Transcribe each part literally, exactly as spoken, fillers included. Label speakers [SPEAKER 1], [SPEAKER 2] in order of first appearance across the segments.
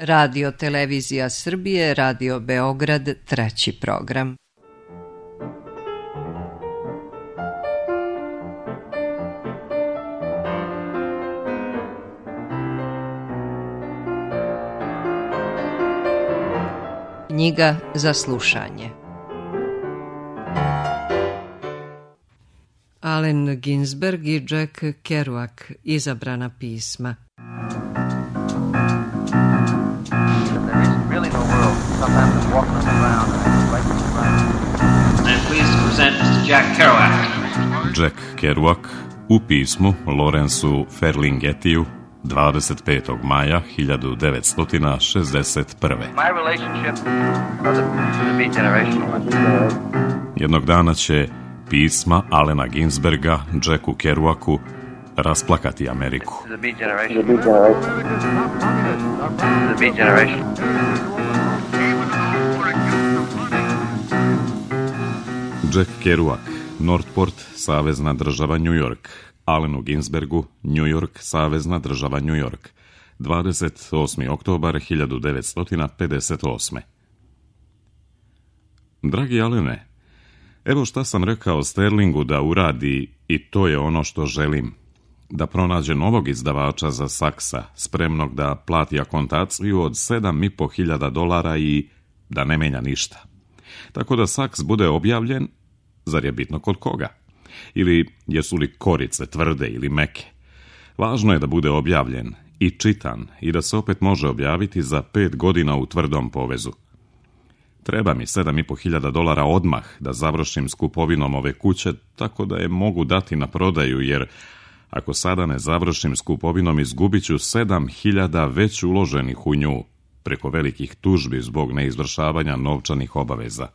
[SPEAKER 1] Radio Televizija Srbije, Radio Beograd, treći program. Knjiga za slušanje. Allen Ginsberg i Jack Kerouac, izabrana pisma.
[SPEAKER 2] Jack Kerouac u pismu Lawrenceu Ferlinghettiju dvadeset petog maja hiljadu devetsto šezdeset prve. Jednog dana će pisma Allena Ginsberga Jacku Kerouacu rasplakati Ameriku. Jack Kerouac, Northport, savezna država New York. Allenu Ginsbergu, New York, savezna država New York. dvadeset osmi oktobar hiljadu devetsto pedeset osme. Dragi Allene, evo šta sam rekao Sterlingu da uradi i to je ono što želim. Da pronađe novog izdavača za Saksa, spremnog da plati akontaciju od sedam i po hiljada dolara i da ne menja ništa. Tako da Saks bude objavljen, zar je bitno kod koga? Ili jesu li korice tvrde ili meke? Važno je da bude objavljen i čitan i da se opet može objaviti za pet godina u tvrdom povezu. Treba mi sedam i po hiljada dolara odmah da završim s kupovinom ove kuće, tako da je mogu dati na prodaju, jer ako sada ne završim s kupovinom, izgubit ću sedam hiljada već uloženih u nju, preko velikih tužbi zbog neizvršavanja novčanih obaveza.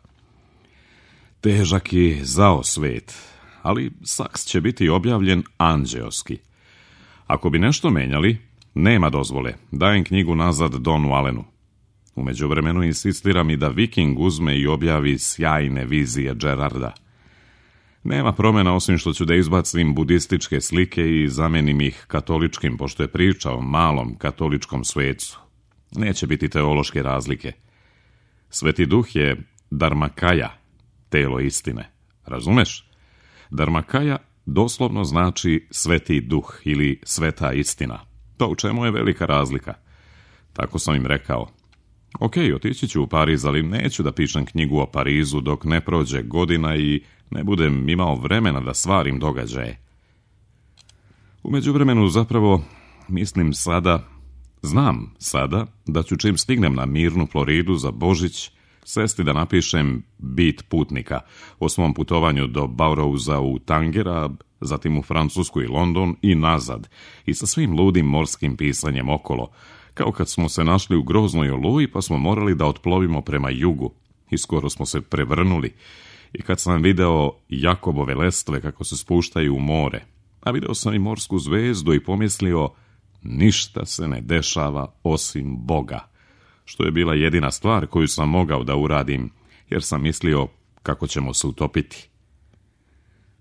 [SPEAKER 2] Težak i zao svet, ali Saks će biti objavljen anđeoski. Ako bi nešto menjali, nema dozvole, dajem knjigu nazad Donu Allenu. U međuvremenu insistiram i da Viking uzme i objavi sjajne vizije Gerarda. Nema promjena osim što ću da izbacim budističke slike i zamenim ih katoličkim, pošto je priča o malom katoličkom svecu. Neće biti teološke razlike. Sveti duh je Dharmakaya, telo istine. Razumeš? Dharmakaya doslovno znači sveti duh ili sveta istina. To u čemu je velika razlika. Tako sam im rekao. Ok, otići ću u Pariz, ali neću da pišem knjigu o Parizu dok ne prođe godina i ne budem imao vremena da stvarim događaje. U međuvremenu zapravo mislim sada, znam sada da ću čim stignem na mirnu Floridu za Božić sesti da napišem Bit putnika o svom putovanju do Baurouza u Tangera, zatim u Francusku i London i nazad i sa svim ludim morskim pisanjem okolo, kao kad smo se našli u groznoj oluji pa smo morali da otplovimo prema jugu i skoro smo se prevrnuli. I kad sam video Jakobove lestve kako se spuštaju u more, a video sam i morsku zvezdu i pomislio ništa se ne dešava osim Boga, što je bila jedina stvar koju sam mogao da uradim, jer sam mislio kako ćemo se utopiti.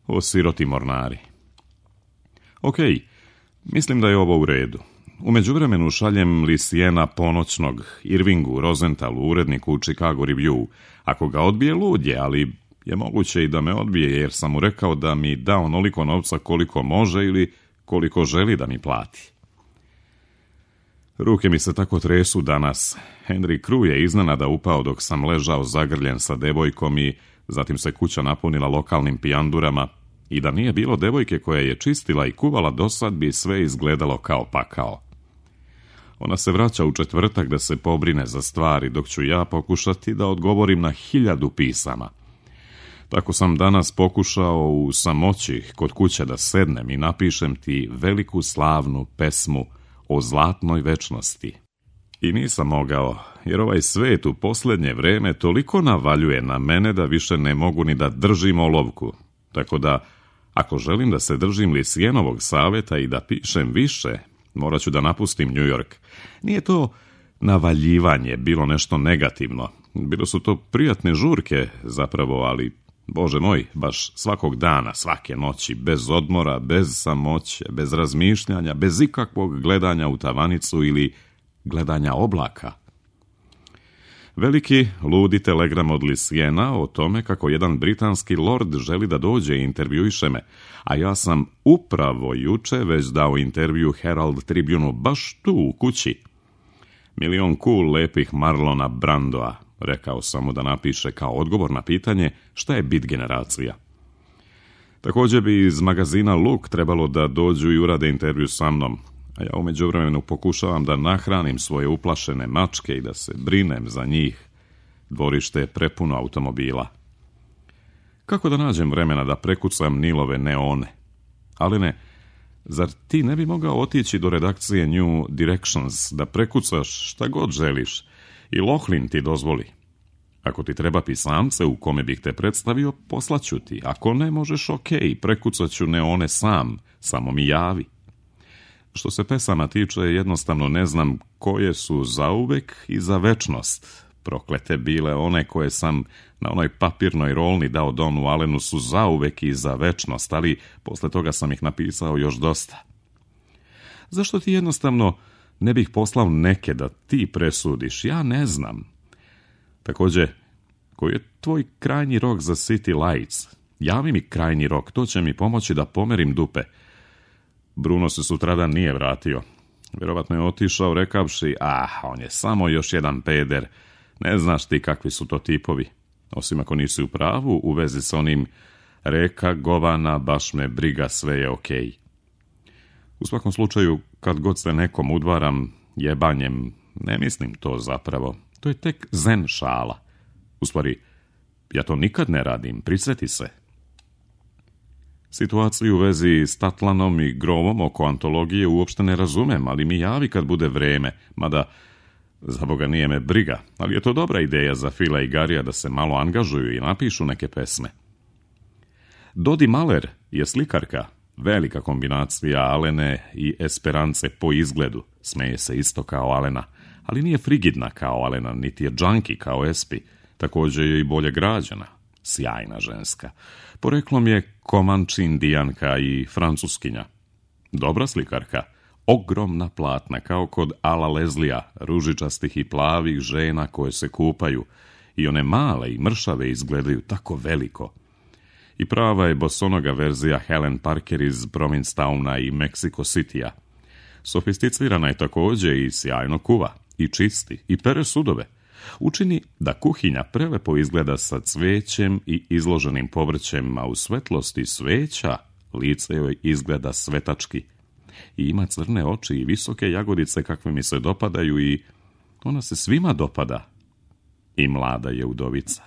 [SPEAKER 2] O siroti mornari. Ok, mislim da je ovo u redu. U međuvremenu šaljem Lisijena ponoćnog Irvingu Rosenthalu, uredniku u Chicago Review. Ako ga odbije, lud je, ali je moguće i da me odbije, jer sam mu rekao da mi da onoliko novca koliko može ili koliko želi da mi plati. Ruke mi se tako tresu danas. Henry Crew je iznenada upao dok sam ležao zagrljen sa devojkom i zatim se kuća napunila lokalnim pijandurama i da nije bilo devojke koja je čistila i kuvala dosad bi sve izgledalo kao pakao. Ona se vraća u četvrtak da se pobrine za stvari, dok ću ja pokušati da odgovorim na hiljadu pisama. Tako sam danas pokušao u samoći kod kuće da sednem i napišem ti veliku slavnu pesmu o zlatnoj večnosti. I nisam mogao, jer ovaj svet u posljednje vreme toliko navaljuje na mene da više ne mogu ni da držim olovku. Tako da, ako želim da se držim Lisijenovog savjeta i da pišem više, morat ću da napustim New York. Nije to navaljivanje bilo nešto negativno. Bilo su to prijatne žurke zapravo, ali, Bože moj, baš svakog dana, svake noći, bez odmora, bez samoće, bez razmišljanja, bez ikakvog gledanja u tavanicu ili gledanja oblaka. Veliki, ludi telegram od Lisijena o tome kako jedan britanski lord želi da dođe i intervjuiše me, a ja sam upravo juče već dao intervju Herald Tribune baš tu u kući. Milion cool lepih Marlona Brandoa, rekao sam mu da napiše kao odgovor na pitanje šta je bit generacija. Također bi iz magazina Look trebalo da dođu i urade intervju sa mnom, a ja u međuvremenu pokušavam da nahranim svoje uplašene mačke i da se brinem za njih. Dvorište je prepuno automobila. Kako da nađem vremena da prekucam Nilove neone? Ali ne, zar ti ne bi mogao otići do redakcije New Directions da prekucaš šta god želiš i Lochlin ti dozvoli? Ako ti treba pisamce u kome bih te predstavio, poslaću ti. Ako ne, možeš okej, prekucat ću neone sam, samo mi javi. Što se pesama tiče, jednostavno ne znam koje su zauvek i za večnost. Proklete bile one koje sam na onoj papirnoj rolni dao Donu Allenu su zauvek i za večnost, ali posle toga sam ih napisao još dosta. Zašto ti jednostavno ne bih poslao neke da ti presudiš? Ja ne znam. Također, koji je tvoj krajnji rok za City Lights? Javi mi krajnji rok, to će mi pomoći da pomerim dupe. Bruno se sutradan nije vratio. Vjerovatno je otišao rekavši, ah, on je samo još jedan peder. Ne znaš ti kakvi su to tipovi. Osim ako nisi u pravu, u vezi s onim reka, govana, baš me briga, sve je okej. U svakom slučaju, kad god se nekom udvaram jebanjem, ne mislim to zapravo. To je tek zen šala. U stvari, ja to nikad ne radim, prisjeti se. Situaciju u vezi s Tatlanom i Grovom oko antologije uopšte ne razumem, ali mi javi kad bude vreme, mada za Boga nije me briga, ali je to dobra ideja za Fila i Garija da se malo angažuju i napišu neke pesme. Dodi Maler je slikarka, velika kombinacija Alene i Esperance po izgledu, smeje se isto kao Alena, ali nije frigidna kao Alena, niti je džanki kao Espi, također je i bolje građana, sjajna ženska. Poreklom je Komanči Indijanka i Francuskinja. Dobra slikarka, ogromna platna, kao kod Ala Leslija, ružičastih i plavih žena koje se kupaju, i one male i mršave izgledaju tako veliko. I prava je bosonoga verzija Helen Parker iz Provincetowna i Mexico Citya. Sofisticirana je također i sjajno kuva, i čisti, i pere sudove. Učini da kuhinja prelepo izgleda sa cvećem i izloženim povrćem, a u svetlosti sveća lice joj izgleda svetački. I ima crne oči i visoke jagodice kakve mi se dopadaju i ona se svima dopada. I mlada je udovica.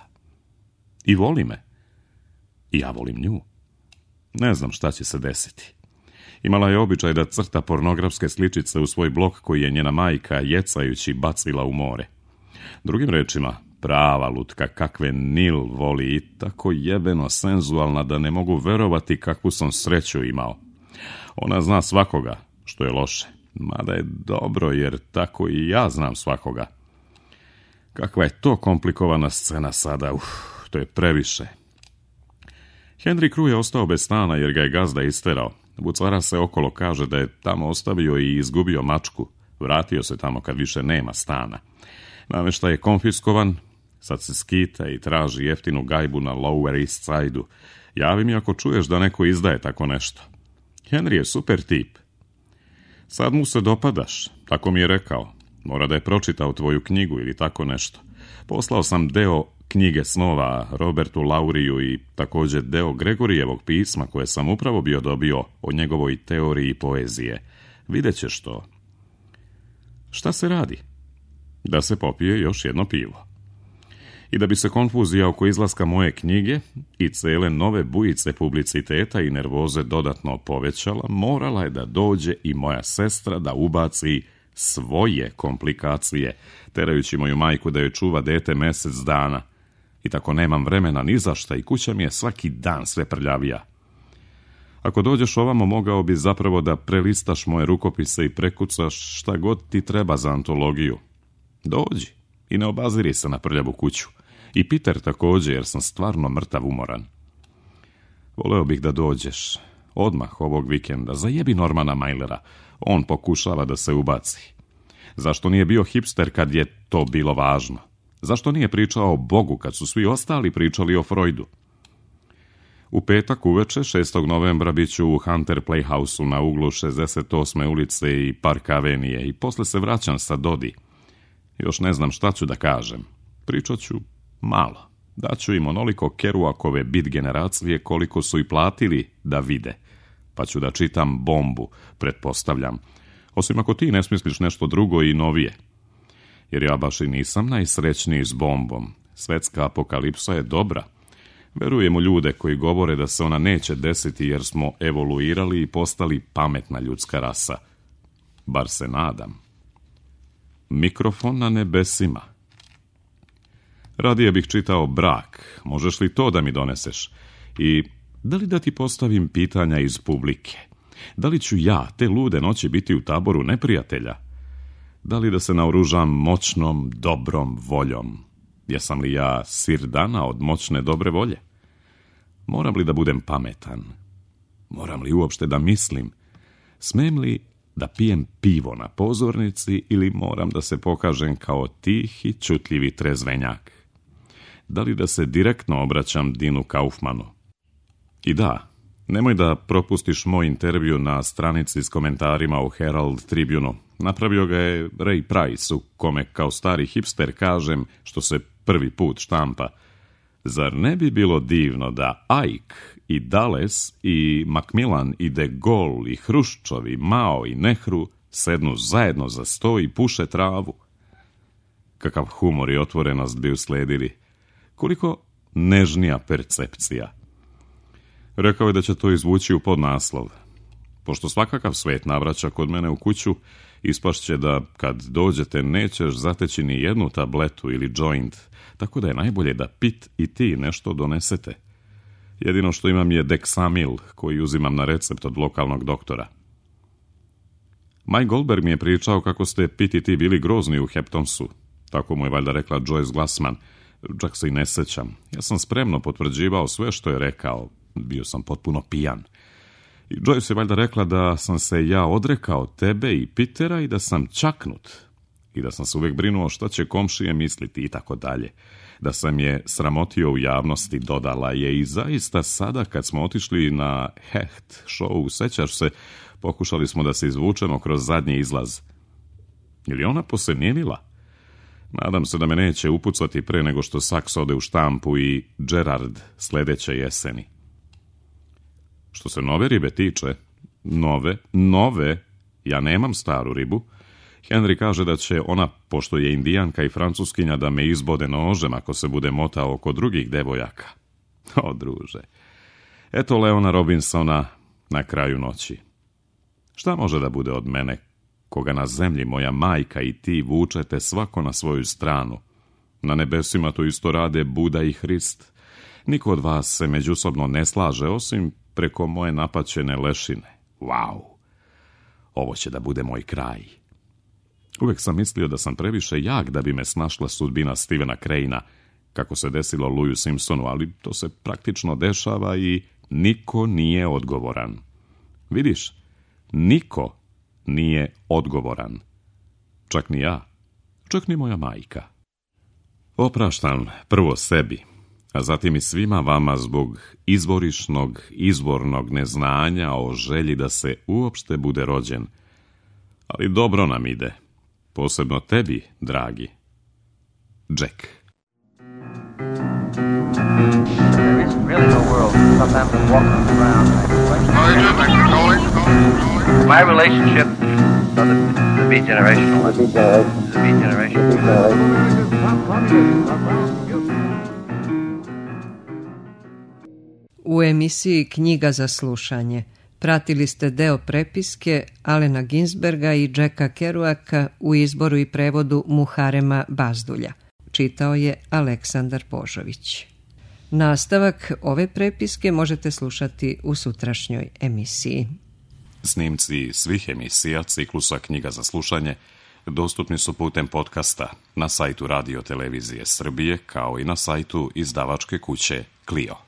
[SPEAKER 2] I voli me. I ja volim nju. Ne znam šta će se desiti. Imala je običaj da crta pornografske sličice u svoj blok koji je njena majka jecajući bacila u more. Drugim rečima, prava lutka kakve Nil voli i tako jebeno senzualna da ne mogu verovati kakvu sam sreću imao. Ona zna svakoga, što je loše, mada je dobro jer tako i ja znam svakoga. Kakva je to komplikovana scena sada, uf, to je previše. Henry Crew je ostao bez stana jer ga je gazda isterao. Bucara se okolo, kaže da je tamo ostavio i izgubio mačku. Vratio se tamo kad više nema stana. Nameštaj je konfiskovan, sad se skita i traži jeftinu gajbu na Lower East Side-u. Javi mi ako čuješ da neko izdaje tako nešto. Henry je super tip. Sad mu se dopadaš, tako mi je rekao. Mora da je pročitao tvoju knjigu ili tako nešto. Poslao sam deo knjige snova Robertu Lauriju i također deo Gregorijevog pisma koje sam upravo bio dobio o njegovoj teoriji poezije. Vidjet ćeš to. Šta se radi? Da se popije još jedno pivo. I da bi se konfuzija oko izlaska moje knjige i cele nove bujice publiciteta i nervoze dodatno povećala, morala je da dođe i moja sestra da ubaci svoje komplikacije, terajući moju majku da joj čuva dete mjesec dana. I tako nemam vremena ni za šta i kuća mi je svaki dan sve prljavija. Ako dođeš ovamo, mogao bi zapravo da prelistaš moje rukopise i prekucaš šta god ti treba za antologiju. Dođi i ne obaziri se na prljavu kuću. I Peter također, jer sam stvarno mrtav umoran. Voleo bih da dođeš odmah ovog vikenda. Zajebi Normana Mailera. On pokušava da se ubaci. Zašto nije bio hipster kad je to bilo važno? Zašto nije pričao o Bogu kad su svi ostali pričali o Freudu? U petak uveče, šestog novembra, bit ću u Hunter Playhouse-u na uglu šezdeset osme ulice i Park Avenije i posle se vraćam sa Dodi. Još ne znam šta ću da kažem. Pričat ću malo. Daću im onoliko Kerouakove bit generacije koliko su i platili da vide. Pa ću da čitam Bombu, pretpostavljam. Osim ako ti ne smisliš nešto drugo i novije. Jer ja baš i nisam najsrećniji s Bombom. Svetska apokalipsa je dobra. Verujem u ljude koji govore da se ona neće desiti jer smo evoluirali i postali pametna ljudska rasa. Bar se nadam. Mikrofon na nebesima. Radije bih čitao Brak. Možeš li to da mi doneseš? I da li da ti postavim pitanja iz publike? Da li ću ja te lude noći biti u taboru neprijatelja? Da li da se naoružam moćnom, dobrom voljom? Jesam li ja Sirdana od moćne dobre volje? Moram li da budem pametan? Moram li uopšte da mislim? Smem li da pijem pivo na pozornici ili moram da se pokažem kao tih i čutljivi trezvenjak? Da li da se direktno obraćam Dinu Kaufmanu? I da, nemoj da propustiš moj intervju na stranici s komentarima u Herald Tribune-u. Napravio ga je Ray Price, u kome kao stari hipster kažem, što se prvi put štampa. Zar ne bi bilo divno da Ike i Dulles i Macmillan i De Gaulle i Hruščov i Mao i Nehru sednu zajedno za sto i puše travu? Kakav humor i otvorenost bi usledili. Koliko nežnija percepcija. Rekao je da će to izvući u podnaslov. Pošto svakakav svet navraća kod mene u kuću, ispašće da kad dođete nećeš zateći ni jednu tabletu ili joint, tako da je najbolje da Pit i ti nešto donesete. Jedino što imam je Dexamil, koji uzimam na recept od lokalnog doktora. Mike Goldberg mi je pričao kako ste Pit i ti bili grozni u Heptonsu. Tako mu je valjda rekla Joyce Glassman. Čak se i ne sećam. Ja sam spremno potvrđivao sve što je rekao. Bio sam potpuno pijan. I Joyce je valjda rekla da sam se ja odrekao tebe i Pitera i da sam čaknut. I da sam se uvijek brinuo šta će komšije misliti i tako dalje. Da sam je sramotio u javnosti, dodala je, i zaista sada kad smo otišli na Hecht show, sećaš se, pokušali smo da se izvučemo kroz zadnji izlaz. Ili ona posenilila? Nadam se da me neće upucati pre nego što Saks ode u štampu i Gerard sljedeće jeseni. Što se nove ribe tiče, nove, nove, ja nemam staru ribu. Henry kaže da će ona, pošto je indijanka i francuskinja, da me izbode nožem ako se bude motao oko drugih devojaka. O, druže. Eto Leona Robinsona na kraju noći. Šta može da bude od mene, koga na zemlji moja majka i ti vučete svako na svoju stranu? Na nebesima to isto rade Buda i Hrist. Niko od vas se međusobno ne slaže, osim preko moje napaćene lešine. Wow! Ovo će da bude moj kraj. Uvijek sam mislio da sam previše jak da bi me snašla sudbina Stevena Crane-a, kako se desilo Louisu Simpsonu, ali to se praktično dešava i niko nije odgovoran. Vidiš, niko nije odgovoran. Čak ni ja, čak ni moja majka. Opraštam prvo sebi, a zatim i svima vama zbog izvorišnog, izvornog neznanja o želji da se uopšte bude rođen. Ali dobro nam ide. Posebno tebi, dragi. Jack.
[SPEAKER 3] There isn't really no world. Sometimes I'm walking around. My relationship, so the, the beat generational. The beat generation.
[SPEAKER 1] U emisiji Knjiga za slušanje pratili ste deo prepiske Alena Ginsberga i Jacka Kerouaka u izboru i prevodu Muharema Bazdulja. Čitao je Aleksandar Božović. Nastavak ove prepiske možete slušati u sutrašnjoj emisiji.
[SPEAKER 2] Snimci svih emisija ciklusa Knjiga za slušanje dostupni su putem podcasta na sajtu Radio Televizije Srbije, kao i na sajtu izdavačke kuće Clio.